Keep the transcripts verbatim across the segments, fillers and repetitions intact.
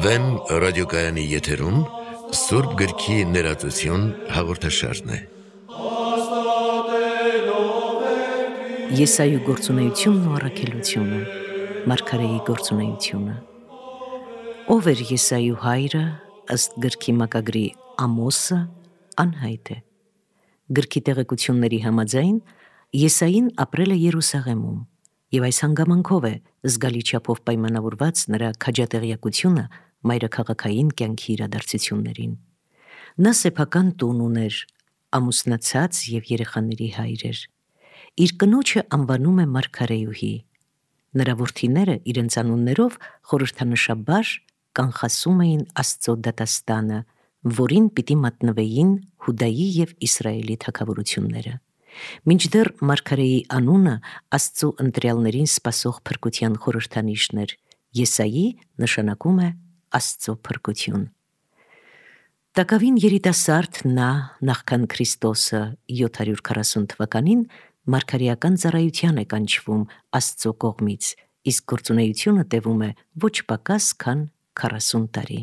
Վեմ ռադիոկայանի եթերում Սուրբ գրքի ներածություն հաղորդաշարն է։ Եսայու գործունեությունն ու առաքելությունը, Մարգարեի գործունեությունը։ Ով էր Եսայու հայրը, ըստ գրքի մակագրի Ամոսը, անհայտ է։ Գրքի տեղեկությունների համաձայն Եսային ապրել է Երուսաղեմում, եւ այս հանգամանքով է զգալի չափով պայմանավորված նրա քաջատեղյակությունը մայրաքաղաքային կյանքի իրադարձություններին։ Նա սեփական տուն ուներ, ամուսնացած եւ երեխաների հայր էր։ Իր կնոջը անվանում է Մարգարեյուհի։ Նրա որդիները իրենց անուններով խորհրդանշաբար կանխասում էին Աստծո դատաստանը, որին պիտի մատնվեին Հուդայի եւ Իսրայելի թագավորությունները։ Մինչդեռ Մարգարեի անունը Աստծո ընտրյալներին սպասող փրկության խորհրդանիշն էր, Եսայի նշանակում է Աստծո փրկություն։ Տակավին երիտասարդ նա, նախքան Քրիստոսը յոթ հարյուր քառասուն թվականին մարգարեական ծառայության է կանչվում Աստծո կողմից, իսկ գործունեությունը տևում է ոչ պակաս քան քառասուն տարի։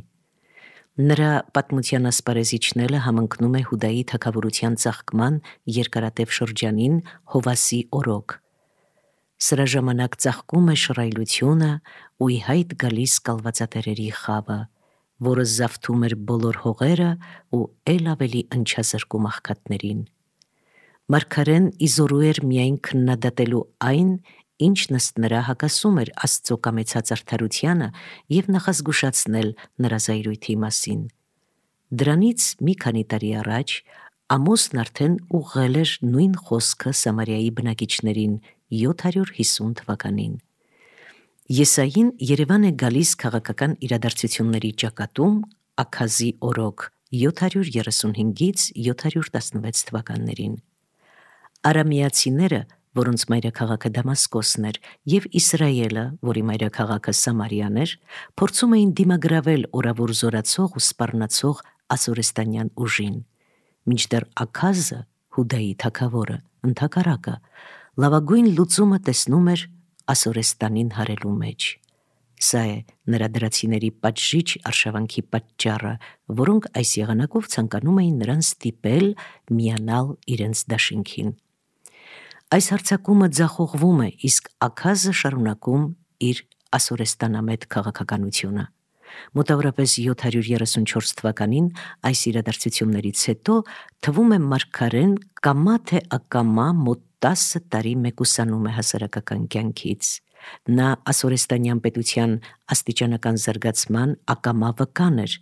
Նրա պատմության ասպարեզիչները համընկնում է Հուդայի թագավորության ծաղկման երկարատև շրջանին Հովասի օրոք։ Սրա ժամանակ ծաղկում է շռայլությունը ու ի հայտ գալիս կալվածատերերի խավը, որը զավթում էր բոլոր հողերը ու ել ավելի ընչազրկում աղքատներին։ Մարգարեն իզորու էր միայն քննադատելու այն, ինչն ըստ նրա հակասում էր Աստծո կամեցած արդարությանը եւ նախազգուշացնել նրա զայրույթի մասին։ Դրանից մի քանի տարի առաջ Ամոսն արդեն ուղղել էր նույն խոսքը Սամարիայի բնակիչներին յոթ հարյուր հիսուն թվականին։ Եսային Երևան է գալիս քաղաքական իրադարձությունների ճակատում Աքազի օրոք յոթ հարյուր երեսունհինգից յոթ հարյուր տասնվեց թվականներին։ Արամեացիները, որոնց մայրաքաղաքը Դամասկոսն էր, եւ Իսրայելը, որի մայրաքաղաքը Սամարիան էր, փորձում էին դիմագրավել օրավոր զորացող ու սպառնացող ասորեստանյան ուժին։ Մինչդեռ Աքազը, Հուդայի թագավորը, ընդհակառակը, լավագույն լուծումը տեսնում էր Ասորեստանին հարելու մեջ։ Սա է նրա դրացիների պատժիչ արշավանքի պատճառը, որոնք այս եղանակով ցանկանում էին նրան ստիպել միանալ իրենց դաշինքին։ Այս հարձակումը ձախողվում է, իսկ Աքազը շարունակում իր ասորեստանամետ քաղաքականությունը։ Մոտավորապես յոթ հարյուր երեսունչորս թվականին այս իրադարձություններից հետո թվում է մարգարեն կամա թե ակամա մոտ տասը տարի մեկուսանում է հասարակական կյանքից։ Նա ասորեստանյան պետության աստիճանական զարգացման ակամա վկան էր,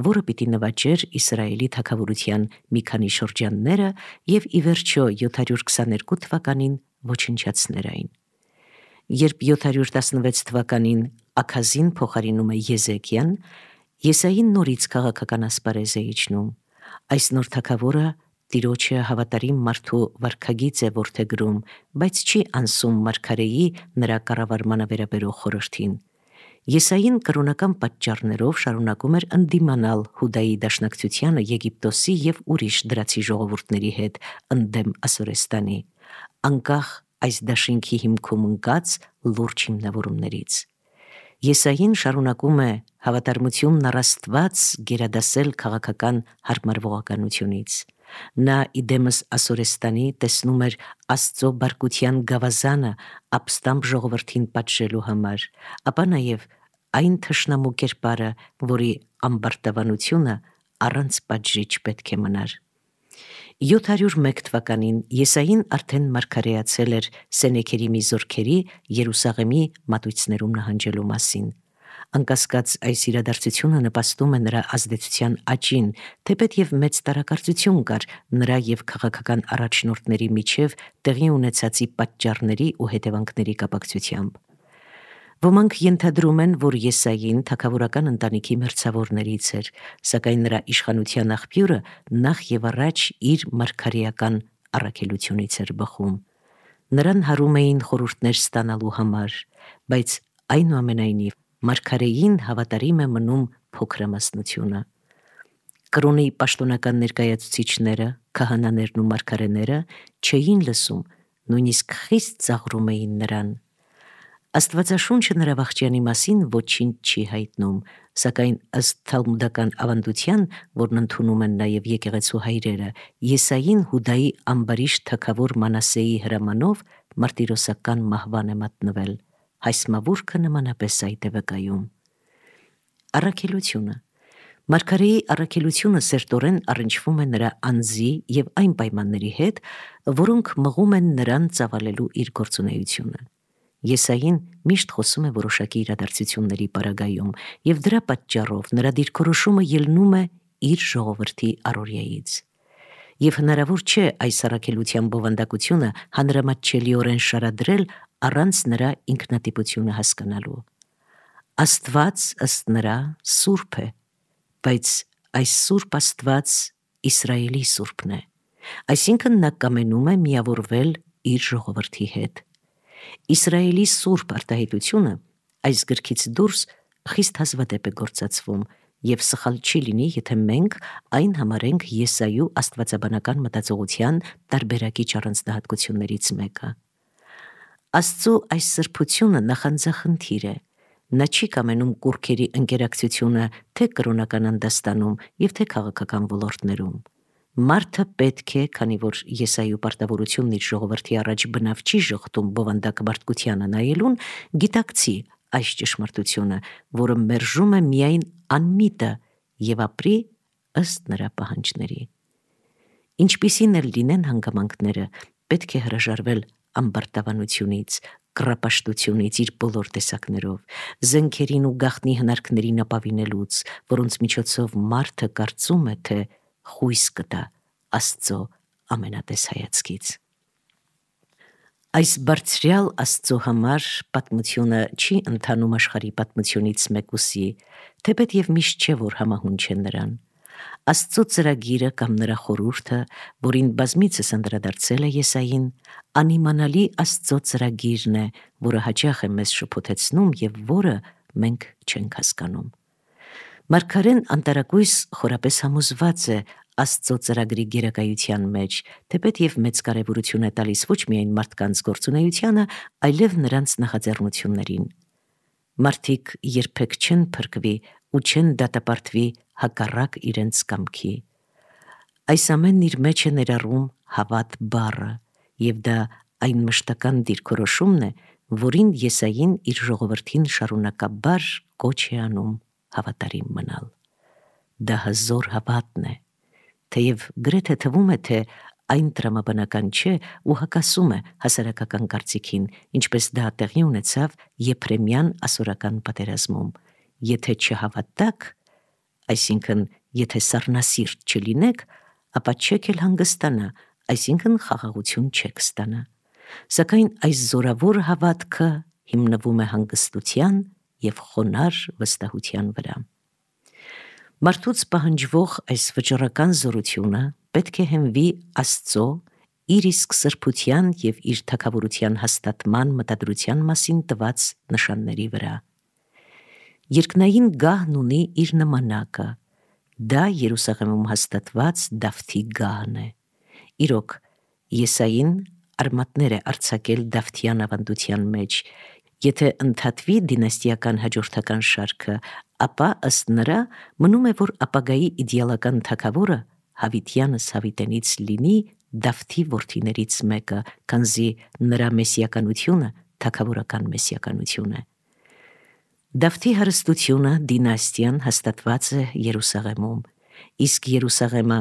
որը պիտի նվաճեր Իսրայելի թագավորության մի քանի շրջանները եւ ի վերջո յոթ հարյուր քսաներկու թվականին ոչնչացներ այն։ Երբ յոթ հարյուր տասնվեց թվականին Աքազին փոխարինում է Եզեկիան, Եսային նորից քաղաքական ասպարեզ է իջնում։ Այս նոր թագավորը Տիրոջը հավատարիմ մարդու վարքագիծ է որդեգրում, բայց չի անսում մարգարեի նրա կառավարմանը վերաբերող խորհրդին։ Եսային կրոնական պատճառներով շարունակում էր ընդդիմանալ Հուդայի դաշնակցությանը Եգիպտոսի եւ ուրիշ դրացի ժողովուրդների հետ ընդդեմ Ասորեստանի, անկախ այս դաշինքի հիմքում ընկած լուրջ հիմնավորումներից։ Եսային շարունակում է հավատարմությունն առ Աստված գերադասել քաղաքական հարմարվողականությունից։ Նա իդեմս Ասորեստանի տեսնում էր Աստծո բարկության գավազանը ապստամբ ժողովրդին պատժելու համար, ապա նաև այն թշնամու կերպարը, որի ամբարտավանությունը առանց պատժիչ պետք է մնար։ յոթ հարյուր մեկ թվականին Եսային արդեն մարգարեացել էր Սենեքերիմի զորքերի Երուսաղեմի մատույցներում նահանջելու մասին։ Անկասկած այս իրադարձությունը նպաստում է նրա ազդեցության աճին, թեպետ եւ մեծ տարակարծություն կար նրա եւ քաղաքական առաջնորդների միջև տեղի ունեցածի պատճառների ու հետևանքների կապակցությամբ։ Ոմանք ենթադրում են, որ Եսային թագավորական ընտանիքի մերձավորներից էր, սակայն նրա իշխանության աղբյուրը նախ եւ առաջ իր մարգարեական առաքելությունից էր բխում։ Նրան հարում էին խորհուրդներ ստանալու համար, բայց այնուամենայնիվ մարգարեին հավատարիմ է մնում փոքրամասնությունը։ Կրոնի պաշտոնական ներկայացուցիչները, քահանաներն ու մարգարեները չէին լսում նույնիսկ խիստ ծաղրում էին նրան։ Աստվածաշունչը նրա վախճանի մասին ոչինչ չի հայտնում, սակայն ըստ թալմուդական ավանդության, որն ընդունում են նաև եկեղեցու հայրերը, Եսային Հուդայի ամբարիշ թագավոր Մանասեի հրամանով մարտիրոսական մահվան է մատնվել։ Հայսմավուրքը նմանապես այդ է վկայում։ Առաքելությունը Մարգարեի առաքելությունը սերտորեն առնչվում է նրա անձի և այն պայմանների հետ, որոնք մղում են նրան ծավալելու իր գործունեությունը։ Եսային միշտ խոսում է որոշակի իրադարձությունների պարագայում, և դրա պատճառով նրա դիրքորոշումը ելնում է իր ժողովրդի առօրյայից։ Եվ հնարավոր չէ այս առաքելության բովանդակությունը հանրամատչելիորեն շարադրել առանց նրա ինքնատիպությունը հասկանալու։ Աստված ըստ նրա սուրբ է, բայց այս սուրբ Աստված Իսրայելի սուրբն է, այսինքն նա կամենում է միավորվել իր ժողովրդի հետ։ Իսրայելի սուրբ արտահայտությունը այս գրքից դուրս խիստ հազվադեպ է գործածվում, և սխալ չի լինի, եթե մենք այն համարենք Եսայու աստվածաբանական մտածողության տարբերակիչ առանձնահատկություններից մեկը։ Աստծո այս սրբությունը նախանձախնդիր է։ Նա չի կամենում կուռքերի ընկերակցությունը թե կրոնական անդաստանում և թե քաղաքական ոլորտներում։ Մարդը պետք է, քանի որ Եսայու պարտավորությունն իր ժողովրդի առաջ բնավ չի ժխտում բովանդակ մարդկությանը նայելուն, գիտակցի այս ճշմարտությունը, որը մերժում է միայն անմիտը և ապրի ըստ նրա պահանջների։ Ինչպիսին էլ լինեն հանգամանքները, պետք է հրաժարվել ամբարտավանությունից, կռապաշտությունից իր բոլոր տեսակներով, զենքերին ու գաղտնի հնարքներին ապավինելուց, որոնց միջոցով մարդը կարծում է, թե խույս կտա Աստծո ամենատես հայացքից։ Այս բարձրյալ Աստծո համար պատմությունը չի ընթանում աշխարհի պատմությունից մեկուսի, թեպետ և միշտ չէ, որ համահունչ է նրան։ Աստծո ծրագիրը կամ նրա խորհուրդը, որին բազմիցս անդրադարձել է Եսային, անիմանալի Աստծո ծրագիրն է, որը հաճախ է մեզ շփոթեցնում և որը մենք չենք հասկանում։ Մարգարեն անտարակույս խորապես համոզված է Աստծո ծրագրի գերակայության մեջ, թեպետ և մեծ կարևորություն է տալիս ոչ միայն մարդկանց գործունեությանը, այլև նրանց նախաձեռնություններին։ Մարդիկ երբեք չեն փրկվի ու չեն դատապարտվի հակառակ իրենց կամքի։ Այս ամենն իր մեջ է ներառում հավատ բառը, և դա այն մշտական դիրքորոշումն է, որին Եսային իր ժողովրդին շարունակաբար կոչ է անում հավատարիմ մնալ։ Դա հզոր հավատն է, թեև գրեթե թվում է, թե այն տրամաբանական չէ ու հակասում է հասարակական կարծիքին, ինչպես դա տեղի ունեցավ Եփրեմյան ասորական պատերազմում։ Եթե չհավատաք, այսինքն եթե սառնասիրտ չլինեք, ապա չեք էլ հանգստանա, այսինքն խաղաղություն չեք ստանա։ Սակայն այս զորավոր հավատքը հիմնվում է հանգստության և խոնարհ վստահության վրա։ Մարդուց պահանջվող այս վճռական զորությունը պետք է հենվի Աստծո իր իսկ սրբության և իր թագավորության հաստատման մտադրության մասին տված նշանների վրա։ Երկնային գահն ունի իր նմանակը, դա Երուսաղեմում հաստատված Դավթի գահն է։ Իրոք, Եսային արմատներ է արձակել Դավթյան ավանդության մեջ։ Եթե ընդհատվի դինաստիական հաջորդական շարքը, ապա ըստ նրա մնում է, որ ապագայի իդեալական թագավորը հավիտյանս հավիտենից լինի Դավթի որդիներից մեկը, քանզի նրա մեսիականությունը թագավորական մեսիականություն է։ Դավթի հարստությունը, դինաստիան հաստատված է Երուսաղեմում, իսկ Երուսաղեմը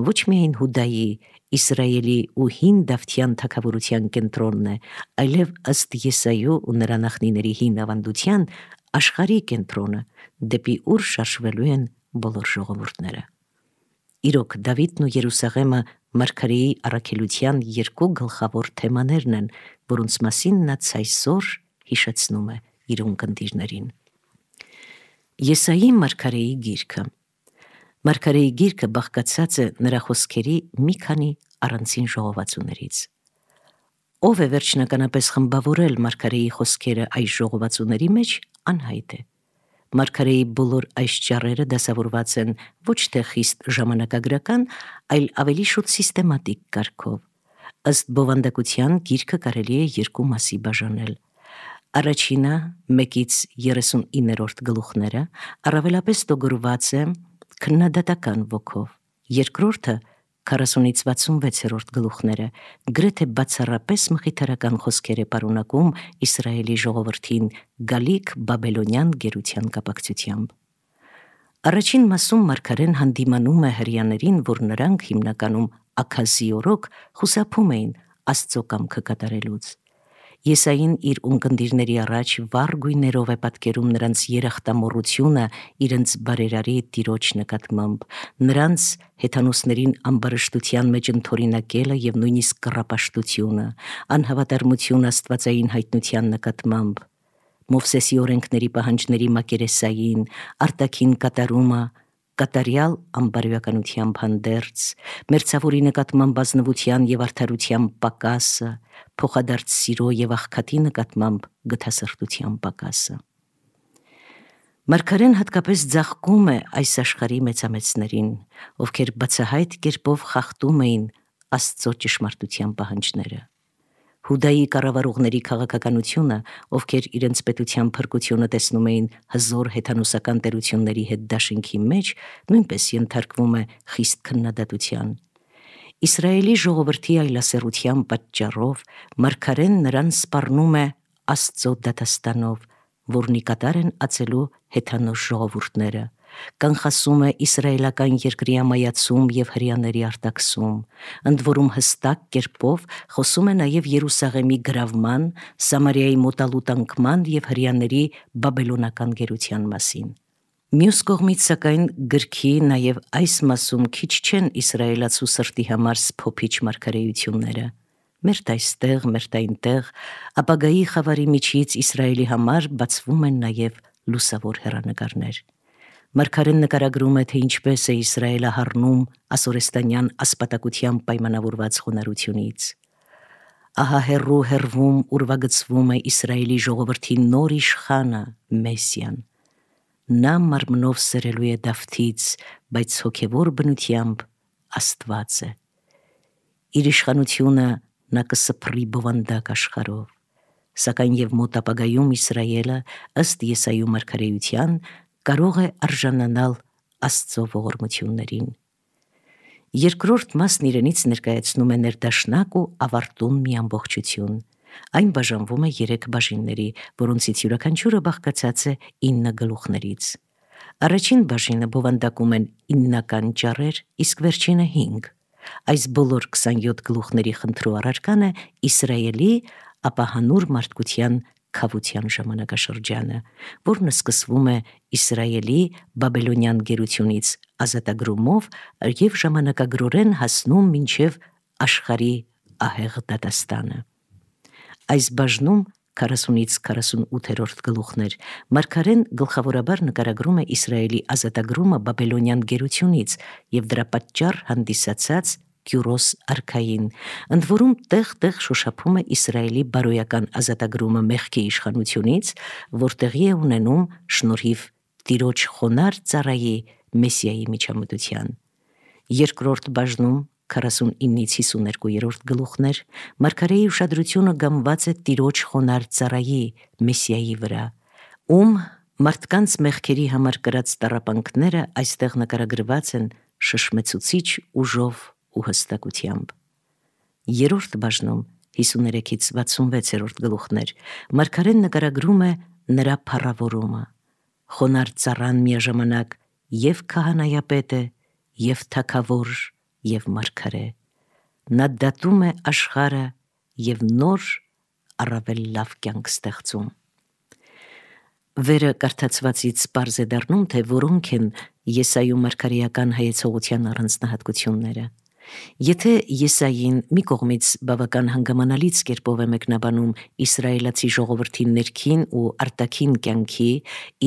ոչ միայն Հուդայի, Իսրայելի ու հին Դավթյան թագավորության կենտրոնն է, այլև ըստ Եսայու ու նրա նախնիների հին ավանդության աշխարհի կենտրոնը, դեպի ուր շարժվելու են բոլոր ժողովուրդները։ Իրոք, Դավիթն ու Երուսաղեմը մարգարեի առաքելության երկու գլխավոր թեմաներն են, որոնց մասին նա ցայսօր հիշեցնում է իր ունկնդիրներին։ Եսայի մարգարեի գիրքը Մարգարեի գիրքը բաղկացած է նրա խոսքերի մի քանի առանցին ժողովածուներից։ Ով է վերջնականապես խմբավորել մարգարեի խոսքերը այս ժողովածուների մեջ, անհայտ է։ Մարգարեի բոլոր այս ճառերը դասավորված են ոչ թե խիստ ժամանակագրական, այլ ավելի շուտ սիստեմատիկ կարգով։ Ըստ բովանդակության գիրքը կարելի է երկու մասի բաժանել։ Առաջինը մեկից երեսունիններորդ գլուխները առավելապես տոգորված է քննադատական ոգով, երկրորդը քառասունից վաթսունվեցերորդ գլուխները գրեթե բացառապես մխիթարական խոսքեր է պարունակում Իսրայելի ժողովրդին գալիք բաբելոնյան գերության կապակցությամբ։ Առաջին մասում մարգարեն հանդիմանում է հրեաներին, որ նրանք հիմնականում աքազիորոք խուսափում էին Աստծո կամքը կատարելուց։ Եսային իր ունկնդիրների առաջ վառ գույներով է պատկերում նրանց երախտամոռությունը իրենց բարերարի տիրոջ նկատմամբ, նրանց հեթանոսներին ամբարշտության մեջ ընդօրինակելը եւ նույնիսկ կռապաշտությունը, անհավատարմություն աստվածային հայտնության նկատմամբ, Մովսեսի օրենքների պահանջների մակերեսային, արտաքին կատարումը, կատարյալ ամբարոյականությամբ հանդերձ, մերձավորի նկատմամբ ազնվության եւ արդարության պակասը, փոխադարձ սիրո եւ աղքատի նկատմամբ գթասրտության պակասը։ Մարգարեն հատկապես ձաղկում է այս աշխարհի մեծամեծներին, ովքեր բացահայտ կերպով խախտում էին Աստծո ճշմարտության պահանջները։ Հուդայի կառավարողների քաղաքականությունը, ովքեր իրենց պետության փրկությունը տեսնում էին հզոր հեթանոսական տերությունների հետ դաշինքի մեջ, նույնպես ենթարկվում է խիստ քննադատության։ Իսրայելի ժողովրդի այլասերության պատճառով մարգարեն նրան սպառնում է Աստծո դատաստանով, որն ի կատար են ածելու հեթանոս ժողովուրդները, կանխասում է իսրայելական երկրի ամայացում եւ հրեաների արտաքսում, ընդ որում հստակ կերպով խոսում է նաեւ Երուսաղեմի գրավման, Սամարիայի մոտալուտ անկման եւ հրեաների բաբելոնական գերության մասին։ Մյուս կողմից, սակայն, գրքի նաև այս մասում քիչ չեն իսրայելացու սրտի համար սփոփիչ մարգարեությունները։ Մերթ այստեղ, մերթ այնտեղ, ապագայի խավարի միջից Իսրայելի համար բացվում են նաև լուսավոր հեռանկարներ։ Մարգարեն նկարագրում է, թե ինչպես է Իսրայելը հառնում ասորեստանյան ասպատակությամբ պայմանավորված խոնարհությունից։ Ահա հեռու հեռվում ուրվագծվում է Իսրայելի ժողովրդի նոր իշխանը Մեսիան։ Նա մարմնով սրելու է Դավթից, բայց հոգևոր բնությամբ Աստված է։ Իր իշխանությունը նա կսփռի բովանդակ աշխարհով, սակայն եւ մոտ ապագայում Իսրայելը ըստ Եսայու մարգարեության կարող է արժանանալ Աստծո ողորմություններին։ Երկրորդ մասն իրենից ներկայացնում է ներդաշնակ ու ավարտուն մի ամբողջություն։ Այն բաժանվում է երեք բաժինների, որոնցից յուրաքանչյուրը բաղկացած է ինը գլուխներից։ Առաջին բաժինը բովանդակում են իննական ճառեր, իսկ վերջինը հինգ։ Այս բոլոր քսանյոթ գլուխների խնդրու առարկան է Իսրայելի, ապա հանուր մարդկության քավության ժամանակաշրջանը, որն սկսվում է Իսրայելի բաբելոնյան գերությունից ազատագրումով եւ ժամանակագրորեն հասնում մինչև աշխարհի ահեղ դատաստանը։ Այս բաժնում քառասունից քառասունութերորդ գլուխներ մարգարեն գլխավորաբար նկարագրում է Իսրայելի ազատագրումը բաբելոնյան գերությունից եւ դրա պատճառ հանդիսացած Կյուրոս արքային, ընդ որում տեղ-տեղ շոշափում է Իսրայելի բարոյական ազատագրումը մեղքի իշխանությունից, որ տեղի է ունենում շնորհիվ Տիրոջ խոնարհ ծառայի Մեսիայի միջամտության։ Երկրորդ բաժնում քառասունինից հիսուներկուերորդ գլուխներ մարգարեի ուշադրությունը գամված է Տիրոջ խոնարհ ծառայի Մեսիայի վրա, ում մարդկանց մեղքերի համար կրած տառապանքները այստեղ նկարագրված են շշմեցուցիչ ուժով ու հստակությամբ։ Երրորդ բաժնում հիսուներեքից վաթսունվեցերորդ գլուխներ մարգարեն նկարագրում է նրա փառավորումը։ Խոնարհ ծառան միաժամանակ եւ քահանայապետ է, եւ թագավոր, եւ մարգարե։ Նա դատում է աշխարհը եւ նոր առավել լավ կյանք ստեղծում։ Վերը կարդացվածից պարզ է դառնում, թե որոնք են Եսայու մարգարեական հայեցողության առանձնահատկությունները։ Եթե Եսային մի կողմից բավական հանգամանալից կերպով է մեկնաբանում իսրայելացի ժողովրդի ներքին ու արտաքին կյանքի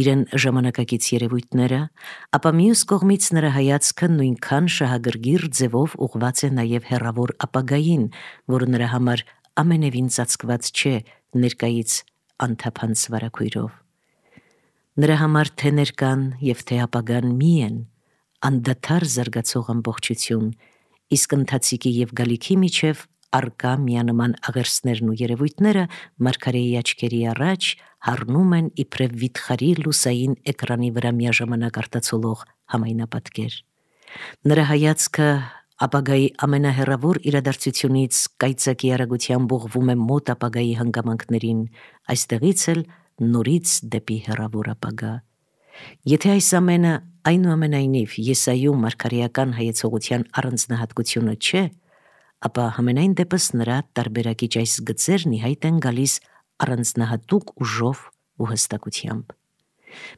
իրեն ժամանակակից երևույթները, ապա մյուս կողմից նրա հայացքը նույնքան շահագրգիռ ձևով ուղղված է նաև հեռավոր ապագային, որը նրա համար ամենևին ծածկված չէ ներկայից անթափանց վարագույրով։ Նրա համար թե ներկան եւ թե ապագան մի են, անդադար զարգացող ամբողջություն, իսկ ընթացիկի եւ գալիքի միջև արկա միանման աղերսներն ու երևույթները մարգարեի աչքերի առաջ հառնում են իբրև վիթխարի լուսային էկրանի վրա միաժամանակ արտացոլող համայնապատկեր։ Նրա հայացքը ապագայի ամենահեռավոր իրադարձությունից կայծակի արագությամբ ուղղվում է մոտ ապագայի հանգամանքներին, այստեղից էլ նորից դեպի հեռավոր ապագա։ Եթե այս ամենը այնուամենայնիվ Եսայու մարգարեական հայեցողության առանձնահատկությունը չէ, ապա համենայն դեպս նրա տարբերակիչ այս գծերն ի հայտ են գալիս առանձնահատուկ ուժով ու հստակությամբ։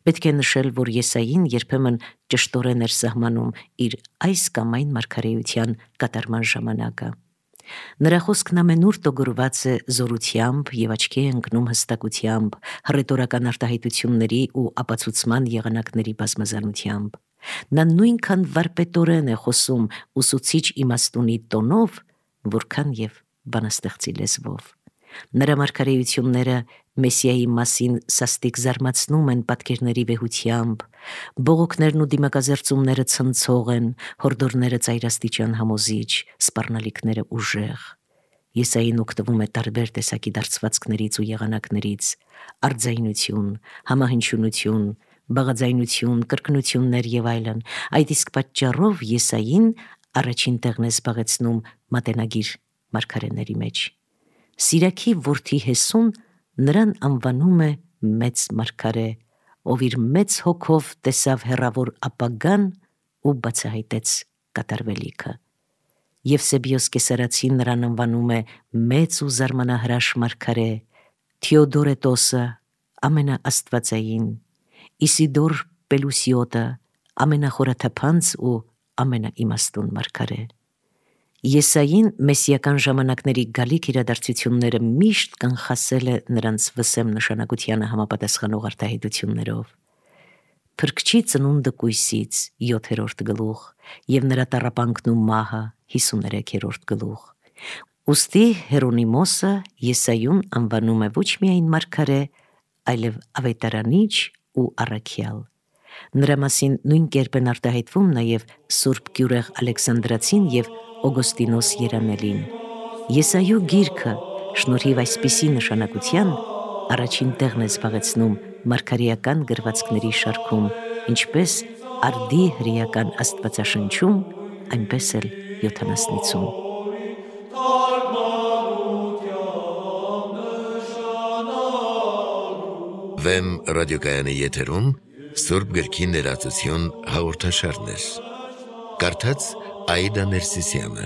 Պետք է նշել, որ Եսային երբեմն ճշտորեն էր սահմանում իր այս կամ այն մարգարեության կատարման ժամանակը։ Նրա խոսքն ամենուր տոգորված է զորությամբ և աչքի է ընկնում հստակությամբ, հռետորական արտահայտությունների ու ապացուցման եղանակների բազմազանությամբ։ Նա նույնքան վարպետորեն է խոսում ուսուցիչ իմաստունի տոնով, որքան և բանաստեղծի լեզվով։ Նրա մարգարեությունները Մեսիայի մասին սաստիկ զարմացնում են պատկերների վեհությամբ, բողոքներն ու դիմակազերծումները ցնցող են, հորդորները ծայրաստիճան համոզիչ, սպառնալիքները ուժեղ։ Եսային օգտվում է տարբեր տեսակի դարձվածքներից ու եղանակներից՝ արձայնություն, համահնչյունություն, բաղաձայնություն, կրկնություններ և այլն։ Այդ իսկ պատճառով Եսային առաջին տեղն է զբաղեցնում մատենագիր մարգարեների մեջ։ Սիրաքի որդի Հեսուն նրան անվանում է մեծ մարգարե, ով իր մեծ հոգով տեսավ հեռավոր ապագան ու բացահայտեց կատարվելիքը։ Եվսեբիոս Կեսարացին նրան անվանում է մեծ ու զարմանահրաշ մարգարե, Թեոդորետոսը ամենաաստվածային, Իսիդոր Պելուսիոտը ամենախորաթափանց ու ամենաիմաստուն մարգարե։ Եսային մեսիական ժամանակների գալիք իրադարձությունները միշտ կանխասել է նրանց վսեմ նշանակությանը համապատասխանող արտահայտություններով։ Փրկչի ծնունդը կույսից յոթերորդ գլուխ և նրա տառապանքն ու մահը հիսուներեքերորդ գլուխ։ Ուստի Հերոնիմոսը Եսայուն անվանում է ոչ միայն մարգարե, այլև ավետարանիչ ու առաքյալ։ Նրա մասին նույն կերպ են արտահայտվում նաև Սուրբ Գյուրեղ Ալեքսանդրացին և Օգոստինոս Երանելին։ Եսայու գիրքը շնորհիվ այսպիսի նշանակության առաջին տեղն է զբաղեցնում մարգարեական գրվածքների շարքում, ինչպես արդի հրեական աստվածաշնչում, այնպես էլ յոթանասնիցում։ Վեմ ռադիոկայանի եթերում Սուրբ գրքի ներածություն հաղորդաշարներ։ Կարդաց Աիդա Ներսիսյանը։